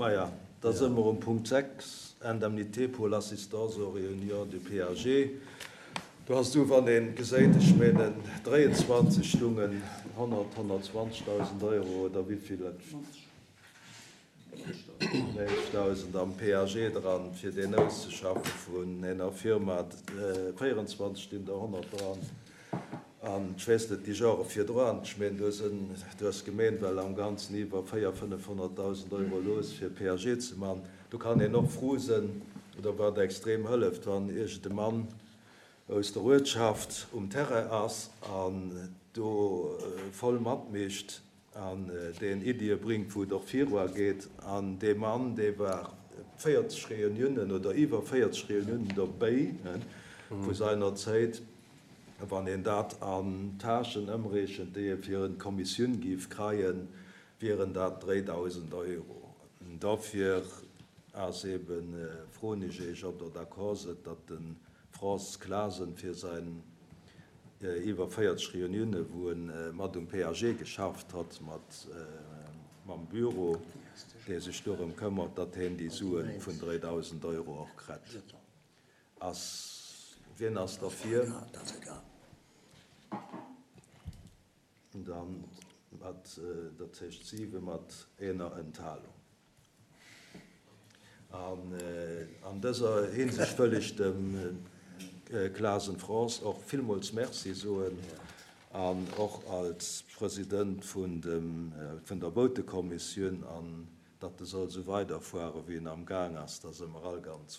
Maja, da si mer um Punkt 6, Indemnités pour l'assistance aux réunions du PAG. Do ass du, wann ee geséit, ech menen 23 stungen 100, 120.000 Euro oder wéivill et, 90.000 am PAG dran, fir deen auszeschaffe vun ener Firma, 24 stinn der 100 dran. An ech weess net, déi Jore virdru, ech meen, do sinn, do ass d'Gemeen well am Ganzen iwwer 4, 500.000 Euro looss fir PAG ze man. Do kann een och fru sinn, oder wat extrem hëlleft, wann iergend e Mann aus der Uertschaft um Terrain ass an do voll matmischt an deen Iddie bringt, wou et och virua geet. An dee Mann, dee war 40 Reuniounen oder iwwer 40 Reuniounen dobéi vu seiner Zéit. Wann een dat an Tâchen ëmreechent, déi ee fir en Kommissioun géif kreien, wieren dat 3.000 Euro. Dofir ass eben, froen ech Iech, ob Der d'accord sidd, datt de Frans Clasen fir säin iwwer 40 Reuniounen, wou e mat um PAG geschafft hott, mat mam Büro, dee sech dorëm këmmert, datt hien déi Sue vun 3.000 Euro och krett. Ass, wien ass derfir? Dann mat, dat heescht 7 mat ener Enthalung. An an dëser Hinsicht wëll ech dem Clasen France och villmools Merci soen an och als President vun dem, vun der Boutekommissioun, an datt e soll esou weiderfuere wéi en am Gaang ass, da si mer all ganz frou.